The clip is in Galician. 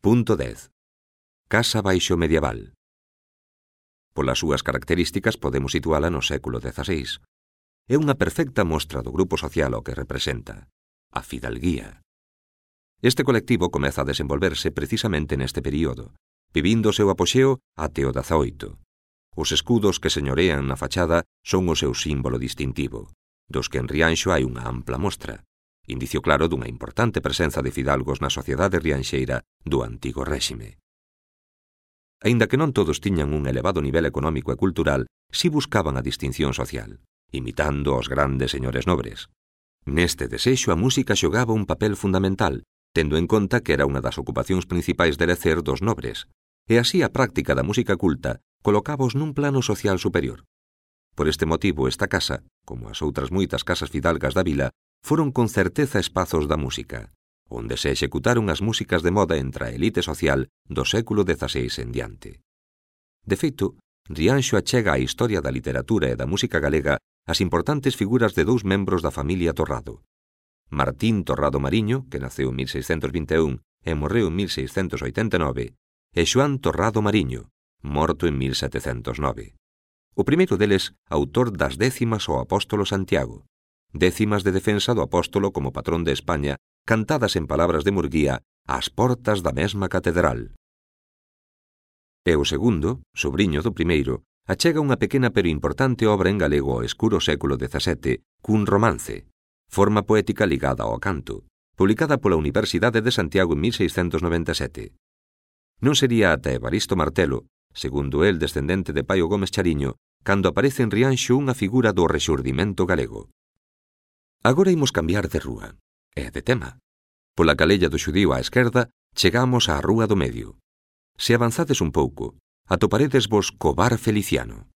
Punto 10. Casa baixo medieval. Polas súas características podemos situala no século XVI. É unha perfecta mostra do grupo social ao que representa, a fidalguía. Este colectivo comeza a desenvolverse precisamente neste período, vivindo o seu apoxeo até o XVIII. Os escudos que señorean na fachada son o seu símbolo distintivo, dos que en Rianxo hai unha ampla mostra, indicio claro dunha importante presenza de fidalgos na sociedade rianxeira do antigo réxime. Aínda que non todos tiñan un elevado nivel económico e cultural, si buscaban a distinción social, imitando aos grandes señores nobres. Neste desexo a música xogaba un papel fundamental, tendo en conta que era unha das ocupacións principais de lecer dos nobres, e así a práctica da música culta colocábaos nun plano social superior. Por este motivo esta casa, como as outras moitas casas fidalgas da vila, foron con certeza espazos da música, onde se executaron as músicas de moda entre a elite social do século XVI en diante. De feito, Rianxo achega á historia da literatura e da música galega as importantes figuras de dous membros da familia Torrado. Martín Torrado Mariño, que naceu en 1621 e morreu en 1689, e Xoán Torrado Mariño, morto en 1709. O primeiro deles, autor das décimas ao apóstolo Santiago, décimas de defensa do apóstolo como patrón de España, cantadas en palabras de Murguía ás portas da mesma catedral. E o segundo, sobriño do primeiro, achega unha pequena pero importante obra en galego ao escuro século XVII cun romance, forma poética ligada ao canto, publicada pola Universidade de Santiago en 1697. Non sería ata Evaristo Martelo, segundo el descendente de Paio Gómez Chariño, cando aparece en Rianxo unha figura do rexurdimento galego. Agora imos cambiar de rúa, e de tema. Pola calella do Xudío á esquerda, chegamos á Rúa do Medio. Se avanzades un pouco, atoparedesvos co Bar Feliciano.